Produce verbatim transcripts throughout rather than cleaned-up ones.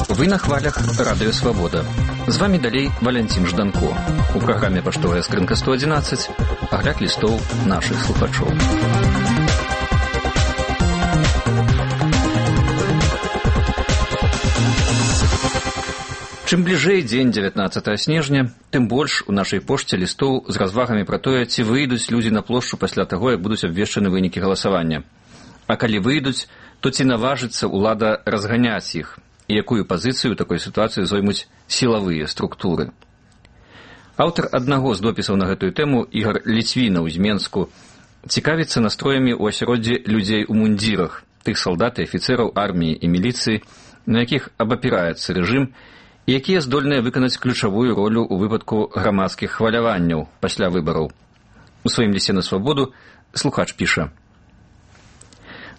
Вы на хвалях Радыё Свабода. З вами далей Валянцін Жданко. У праграме «Паштовая скрынка сто адзінаццаць» агляд лістоў нашых слухачоў. Чым бліжэй дзень дзевятнаццатага снежня, тым больш у нашай пошце лістоў з развагамі пра тое, ці выйдуць людзі на плошчу пасля таго, як будуць абвешчаны вынікі галасавання. А калі выйдуць, то ці наважыцца ўлада разганяць іх, і якую пазіцыю ў такой сітуацыі зоймуць сілавыя структуры. Аўтар аднаго з допісаў на гэтую тэму, Ігар Ліцвінаў з Менску, цікавіцца настроямі ў асяроддзі людзей у мундзірах, тых салдат і афіцэраў арміі і міліцыі, на якіх абапіраецца рэжым, і якія здольныя выканаць ключавую ролю ў выпадку грамадскіх хваляванняў пасля выбараў. У сваім лісце на Свабоду слухач піша: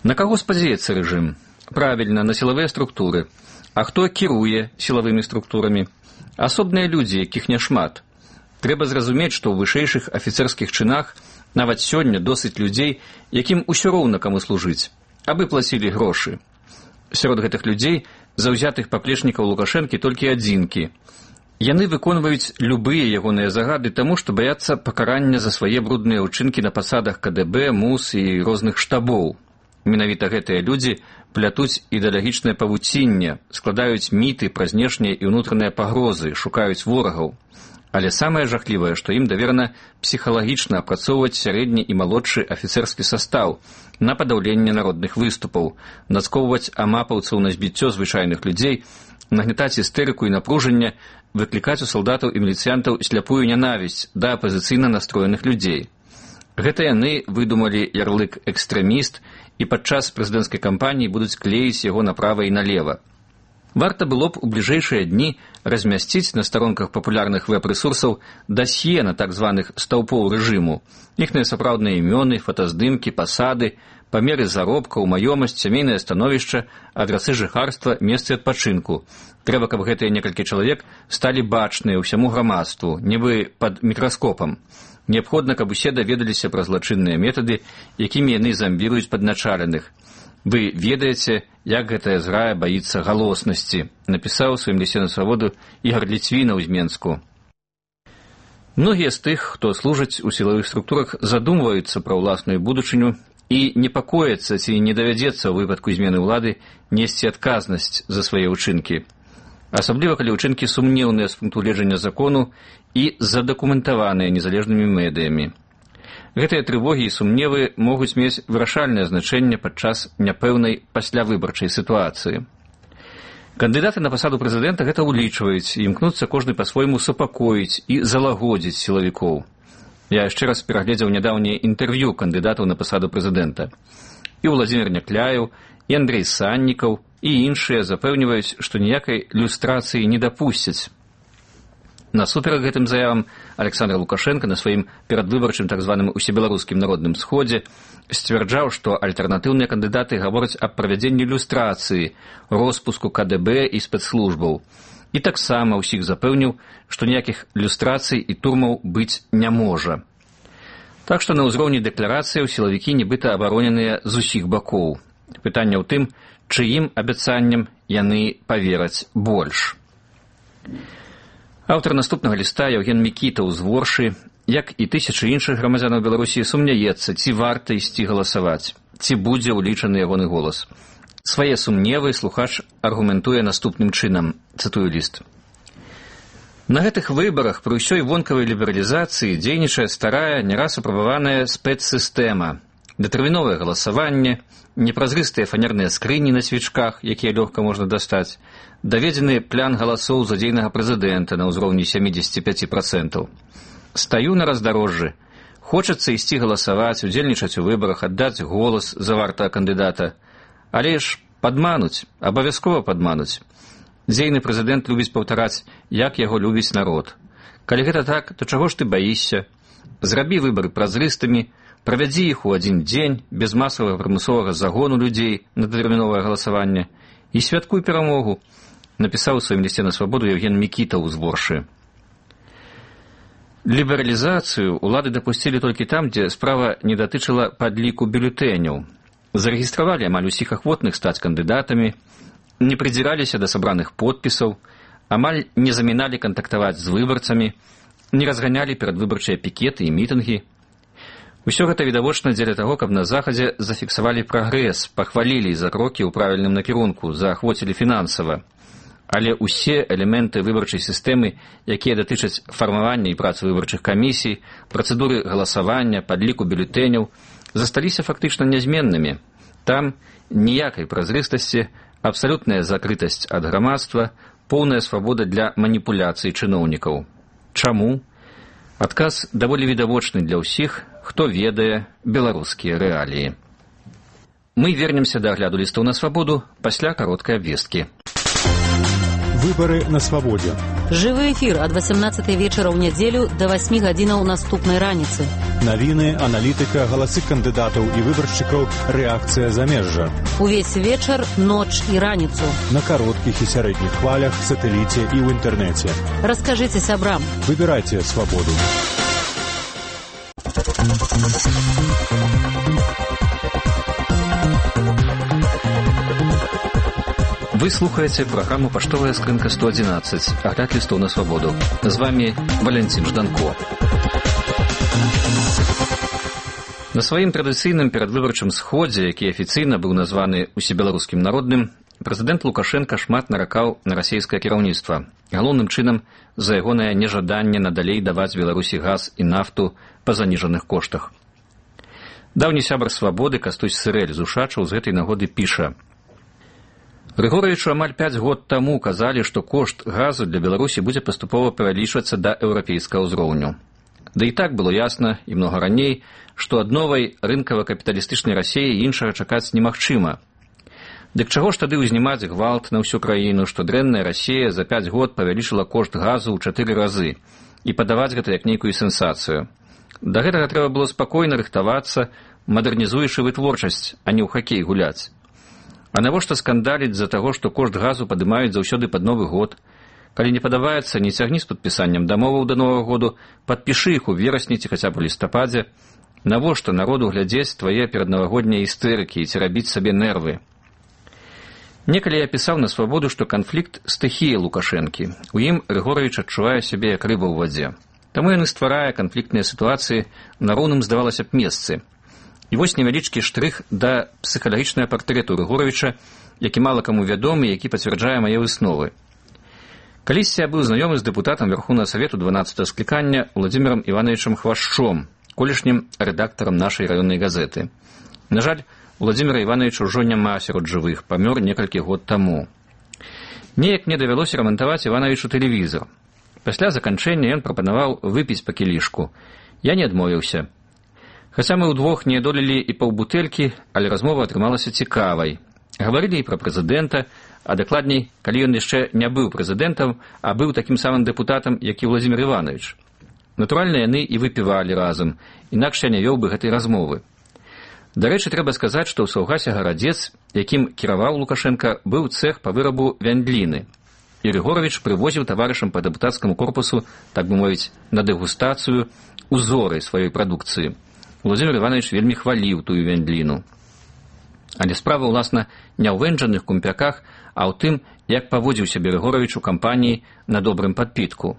«На каго спадзяецца рэжым? Правільна, на сілавыя структуры. А хто кіруе сілавымі структурамі? Асобныя людзі, якіх няшмат. Трэба зразумець, што ў вышэйшых афіцэрскіх чынах нават сёння досыць людзей, якім усё роўна каму служыць, абы плацілі грошы. Сярод гэтых людзей заўзятых паплечнікаў Лукашэнкі толькі адзінкі. Яны выконваюць любыя ягоныя загады таму, што баяцца пакарання за свае брудныя ўчынкі на пасадах ка дэ бэ, МУС і розных штабоў. Менавіта гэтыя людзі плятуць ідэалагічнае павуцінне, складаюць міты пра знешнія і ўнутраныя пагрозы, шукаюць ворагаў. Але самае жахлівае, што ім даверана псіхалагічна апрацоўваць сярэдні і малодшы афіцэрскі састаў на падаўленне народных выступаў, нацкоўваць амапаўцаў на збіццё звычайных людзей, нагнятаць істэрыку і напружанне, выклікаць у салдатаў і міліцыянтаў сляпую нянавісць да апазіцыйна настроеных людзей. Гэта яны выдумалі ярлык «экстрэміст» і падчас прэзідэнцкай кампаніі будуць клеіць яго направа і налева. Варта было б у бліжэйшыя дні размясціць на старонках папулярных вэб-рэсурсаў дасье на так званых стаўпоў рэжыму, іхныя сапраўдныя імёны, фотаздымкі, пасады, памеры заробкаў, маёмасць, сямейнае становішча, адрасы жыхарства, месцы адпачынку. Трэба, каб гэтыя некалькі чалавек сталі бачныя ўсяму грамадству, нібы пад мікраскопам. Неабходна, каб усе даведаліся пра злачынныя метады, якімі яны замбіруюць падначаленых. Вы ведаеце, як гэтая зграя баіцца галоснасці», напісаў у сваім лісце на Свабоду Ігар Ліцвінаў з Менску. Многія з тых, хто служыць у сілавых структурах, задумваюцца пра ўласную будучыню і непакояцца, ці не давядзецца ў выпадку змены ўлады несці адказнасць за свае ўчынкі. Асабліва, калі ўчынкі сумнеўныя з пункту гледжання закону і задакументаваныя незалежнымі медыямі. Гэтыя трывогі і сумневы могуць мець вырашальнае значэнне падчас няпэўнай паслявыбарчай сітуацыі. Кандыдаты на пасаду прэзідэнта гэта ўлічваюць і імкнуцца кожны па-свойму супакоіць і залагодзіць сілавікоў. Я яшчэ раз перагледзеў нядаўнее інтэрв'ю кандыдатаў на пасаду прэзідэнта. І Владзімір Някляеў, і Андрэй Саннікаў, і іншыя запэўніваюць, што ніякай люстрацыі не дапусцяць. Насуперак гэтым заявам Александр Лукашенко на сваім перадвыбарчым так званым усебеларускім народным сходзе сцвярджаў, што альтэрнатыўныя кандыдаты гавораць аб правядзенні люстрацыі, роспуску ка дэ бэ і спецслужбаў. І таксама ўсіх запэўніў, што ніякіх люстрацый і турмаў быць не можа. Так што на ўзроўні дэкларацыяў сілавікі нібыта абароненыя з усіх бакоў. Пытанне ў тым, чыім абяцанням яны павераць больш. Аўтар наступнага ліста Яўген Мікітаў з Воршы, як і тысячы іншых грамадзянаў Беларусі, сумняецца, ці варта ісці галасаваць, ці будзе ўлічаны ягоны голас. Свае сумневы слухач аргументуе наступным чынам, цытую ліст. На гэтых выбарах пры ўсёй вонкавай лібералізацыі дзейнічае старая, не раз апрабаваная спецсістэма, дэтэрміновае галасаванне, непразрыстыя фанерныя скрыні на свечках, якія лёгка можна дастаць, даведзены план галасоў за дзейнага прэзідэнта на ўзроўні сямідзесят пяць працэнтаў. Стаю на раздарожжы. Хочацца ісці галасаваць, удзельнічаць у выбарах, аддаць голас за вартага кандыдата. Але ж падмануць, абавязкова падмануць. Дзейны прэзідэнт любіць паўтараць, як яго любіць народ. Калі гэта так, то чаго ж ты баішся? Зрабі выбары празрыстымі, правядзі іх у адзін дзень, без масавага прымусовага загону людзей на дэтэрміновае галасаванне і святкуй перамогу, напісаў у сваім лісце на Свабоду Яўген Мікітаў з Воршы. Лібералізацыю ўлады дапусцілі толькі там, дзе справа не датычыла падліку бюлетэняў. Зарэгістравалі амаль усіх ахвотных стаць кандыдатамі, не придзіраліся да сабраных подпісаў, амаль не заміналі кантактаваць з выбарцамі, не разганялі перадвыбарчыя пікеты і мітынгі. Усё гэта відавочна дзеля таго, каб на захадзе зафіксавалі прагрэс, пахвалілі за крокі ў правільным накірунку, заахвоцілі фінансава. Але ўсе элементы выбарчай сістэмы, якія датычаць фармавання і працы выбарчых камісій, працэдуры галасавання, падліку бюлетэняў, засталіся фактычна нязменнымі. Там ніякай празрыстасці, абсалютная закрытасць ад грамадства, поўная свабода для маніпуляцый чыноўнікаў. Чаму? Адказ даволі відавочны для ўсіх, хто ведае беларускія рэаліі. Мы вернемся да агляду лістоў на свабоду пасля кароткай абвесткі. Выборы на свабодзе. Жывы эфір ад васямнаццатай вечара ў нядзелю да васьмі гадзінаў наступнай раніцы. Навіны, аналітыка, галасы кандыдатаў і выбаршчыкаў, рэакцыя замежжа. Увесь вечар, ноч і раніцу. На кароткіх і сярэдніх хвалях, сатэліце і ў інтэрнэце. Раскажыце сябрам. Выбірайце свабоду. Вы слухаеце праграму «Паштовая скрынка сто адзінаццаць», агляд лістоў на свабоду. З вами Валянцін Жданко. На сваім традыцыйным перадвыбарчым сходзе, які афіцыйна быў названы усебеларускім народным, прэзідэнт Лукашенка шмат наракаў на расейскае кіраўніцтва, галоўным чынам за ягонае нежаданне надалей даваць Беларусі газ і нафту па заніжаных коштах. Даўні сябар свабоды Кастусь Сырэль з Ушачаў з гэтай нагоды піша: Грыгоровичу амаль пяць год таму казалі, што кошт газу для Беларусі будзе паступова павялічвацца да еўрапейскага ўзроўню. Да і так было ясна, і многа раней, што ад новай рынкава-капіталістычнай Расіі іншага чакаць немагчыма. Дык чаго ж тады ўзнімаць гвалт на ўсю краіну, што дрэнная Расія за пяць год павялічыла кошт газу ў чатыры разы і падаваць гэта як нейкую сенсацыю. Да гэтага трэба было спакойна рыхтавацца, мадэрнізуючы вытворчасць, а не ў хакей гуляць. А навошта скандаліць з-за таго, што кошт газу падымаюць заўсёды пад Новы год? Калі не падабаецца, не цягні з падпісаннем дамоваў да Новага году, падпішы іх у верасні ці хаця б у лістападзе. Навошта народу глядзець твае пераднавагоднія істэрыкі і ці рабіць сабе нервы? Некалі я пісаў на свабоду, што канфлікт стыхія Лукашэнкі. У ім Грыгорович адчувае сябе як рыба ў вадзе. Таму ён і стварае канфліктныя сітуацыі на роўным, здавалася б, месцы. І вось невялічкі штрых да псіхалагічнага партрэту Грыгоровича, які мала каму вядомы, які пацвярджае мае высновы. Калісьці я быў знаёмы з дэпутатам Верхоўнага Савету дванаццатага склікання Владзімірам Івановичам Хвашчом, колішнім рэдактарам нашай раённай газеты. На жаль, Владзіміра Івановича ўжо няма сярод жывых, памёр некалькі год таму. Неяк мне давялося рамантаваць Івановичу тэлевізор. Пасля заканчэння ён прапанаваў выпіць па кілішку. Я не адмовіўся. Хаця мы ўдвох не адолелі і паўбутэлькі, але размова атрымалася цікавай. Гаварылі і пра прэзідэнта, а дакладней, калі ён яшчэ не быў прэзідэнтам, а быў такім самым дэпутатам, як і Владзімір Іванович. Натуральна, яны і выпівалі разам, інакш я не вёў бы гэтай размовы. Дарэчы, трэба сказаць, што ў Саўгасе Гарадзец, якім кіраваў Лукашенка, быў цэх па вырабу вяндліны. І Грыгорович прывозіў таварышам па дэпутацкаму корпусу, так бы мовіць, на дэгустацыю узоры сваёй прадукцыі. Владзімір Іванович вельмі хваліў тую вяндліну. Але справа, уласна, не ў вэнджаных кумпяках, а ў тым, як паводзіў сябе Грыгорович у кампаніі на добрым падпітку.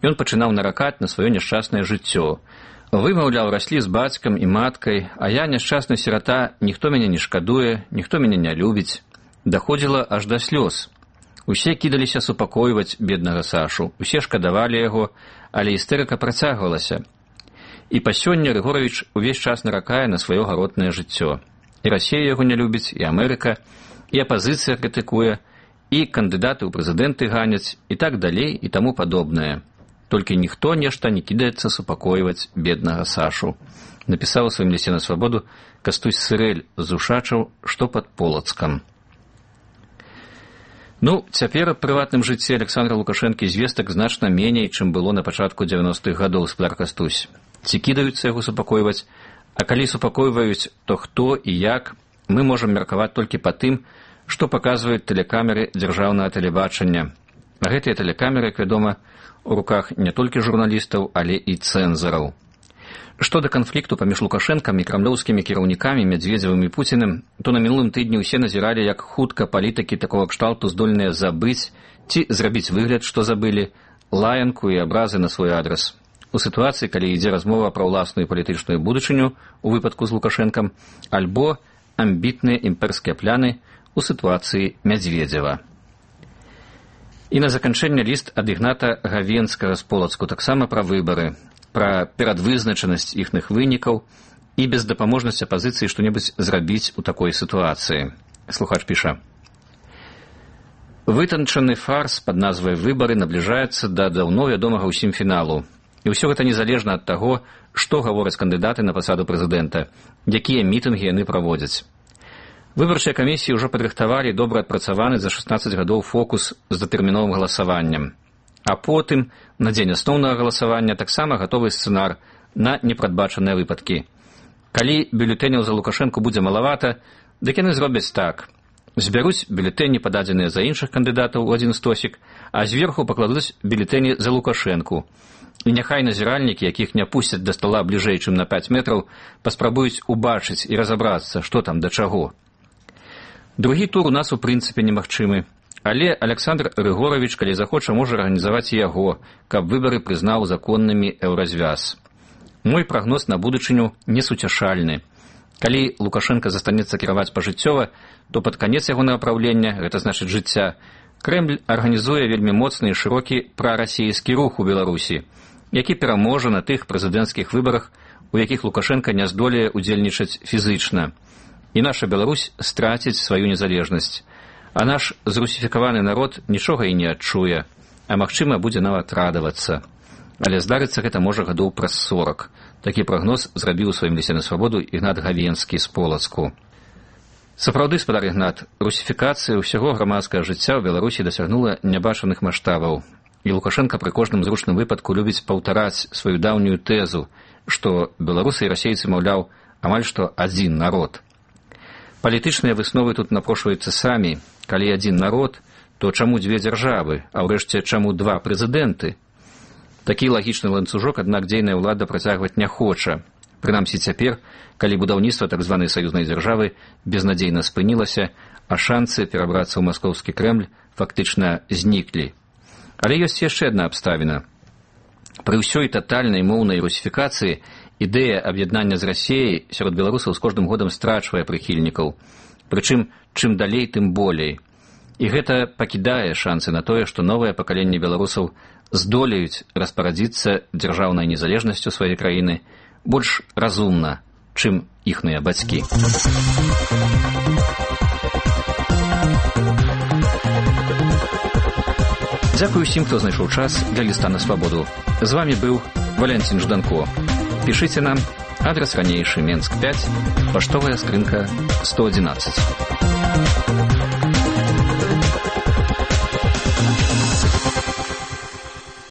Ён пачынаў наракаць на сваё няшчаснае жыццё. Вымаўляў, раслі з бацькам і маткай, а я, няшчасны сірата, ніхто мяне не шкадуе, ніхто мяне не любіць. Даходзіла аж да слёз. Усе кідаліся супакойваць беднага Сашу, усе шкадавалі яго, але істэрыка працягвалася. І па сёння Грыгорович увесь час наракае на сваё гаротнае жыццё. І Расія яго не любіць, і Амерыка, і апазіцыя крытыкуе, і кандыдаты ў прэзідэнты ганяць, і так далей, і таму падобнае. Толькі ніхто нешта не кідаецца супакойваць беднага Сашу. Напісаў у сваім лісце на свабоду Кастусь Сырэль з Ушачаў, што пад Полацкам. Ну, цяпер у прыватным жыцці Александра Лукашэнкі звестак значна меней, чым было на пачатку дзевяностых гадоў, спляр Кастусь. Ці кідаюцца яго супакойваць, а калі супакойваюць, то хто і як, мы можам меркаваць толькі па тым, што паказваюць тэлекамеры дзяржаўнага тэлебачання. А гэтыя тэлекамеры, як вядома, у руках не толькі журналістаў, але і цэнзараў. Што да канфлікту паміж Лукашэнкам і крамлёўскімі кіраўнікамі Мядзведзевым і Пуціним, то на мінулым тыдні ўсе назіралі, як хутка палітыкі такога кшталту здольныя забыць ці зрабіць выгляд, што забылі, лаянку і абразы на свой адрас. У сітуацыі, калі ідзе размова пра ўласную палітычную будучыню у выпадку з Лукашэнкам, альбо амбітныя імперскія пляны у сітуацыі Мядзведзева. І на заканчэнне ліст ад Ігната Гавенскага з Полацку таксама пра выбары, пра перадвызначанасць іхных вынікаў і бездапаможнасць апазіцыі што-небудзь зрабіць у такой сітуацыі. Слухач піша: «Вытанчаны фарс пад назвай «Выбары» набліжаецца да даўно вядомага ўсім фіналу. І ўсё гэта незалежна ад таго, што гавораць кандыдаты на пасаду прэзідэнта, якія мітынгі яны праводзяць. Выбарчыя камісіі ўжо падрыхтавалі добра адпрацаваны за шаснаццаць гадоў фокус з датэрміновым галасаваннем. А потым, на дзень асноўнага галасавання, таксама гатовы сцэнар на непрадбачаныя выпадкі. Калі бюлетэняў за Лукашэнку будзе малавата, дык яны зробяць так. Збяруць бюлетэні, пададзеныя за іншых кандыдатаў у адзін стосік, а зверху пакладуць бюлетэні за Лукашэнку. І няхай назіральнікі, якіх не пусцяць да стала бліжэй, чым на пяць метраў, паспрабуюць убачыць і разабрацца, што там да чаго. Другі тур у нас у прынцыпе немагчымы, але Александр Рыгорович, калі захоча, можа арганізаваць і яго, каб выбары прызнаў законнымі еўразвяз. Мой прагноз на будучыню несуцяшальны. Калі Лукашенко застанецца кіраваць пажыццёва, то пад канец яго напраўлення, гэта значыць жыцця, Крэмль арганізуе вельмі моцны і шырокі прарасійскі рух у Беларусі, які пераможа на тых прэзідэнцкіх выбарах, у якіх Лукашенко не здолее удзельнічаць фізычна. І наша Беларусь страціць сваю незалежнасць. А наш зрусіфікаваны народ нічога і не адчуе, а магчыма будзе нават радавацца. Але здарыцца гэта можа гадоў праз сорак. Такі прагноз зрабіў у сваім лісце на свабоду Ігнат Гавенскі з Полацку. Сапраўды, спадар Ігнат, русіфікацыя ўсяго грамадскага жыцця ў Беларусі дасягнула нябачаных маштабаў. І Лукашенко пры кожным зручным выпадку любіць паўтараць сваю даўнюю тэзу, што беларусы і расейцы, маўляў, амаль што адзін народ. Палітычныя высновы тут напрошваюцца самі. Калі адзін народ, то чаму дзве дзяржавы, а ўрэшце чаму два прэзідэнты? Такі лагічны ланцужок, аднак дзейная ўлада працягваць не хоча. Прынамсі цяпер, калі будаўніцтва так званай саюзнай дзяржавы безнадзейна спынілася, а шанцы перабрацца ў маскоўскі Крэмль фактычна зніклі. Але ёсць яшчэ адна абставіна. Пры ўсёй татальнай моўнай русіфікацыі ідэя аб'яднання з Расіяй сярод беларусаў з кожным годам страчвае прыхільнікаў. Прычым, чым далей, тым болей. І гэта пакідае шансы на тое, што новае пакаленне беларусаў здолеюць распарадзіцца дзяржаўнай незалежнасцю сваёй краіны больш разумна, чым іхныя бацькі. Дзякую ўсім, хто знайшоў час для ліста на свабоду. З вамі быў Валянцін Жданко. Пішыце нам, адрес ранейшы, Менск пяць, паштовая скрынка сто адзінаццаць.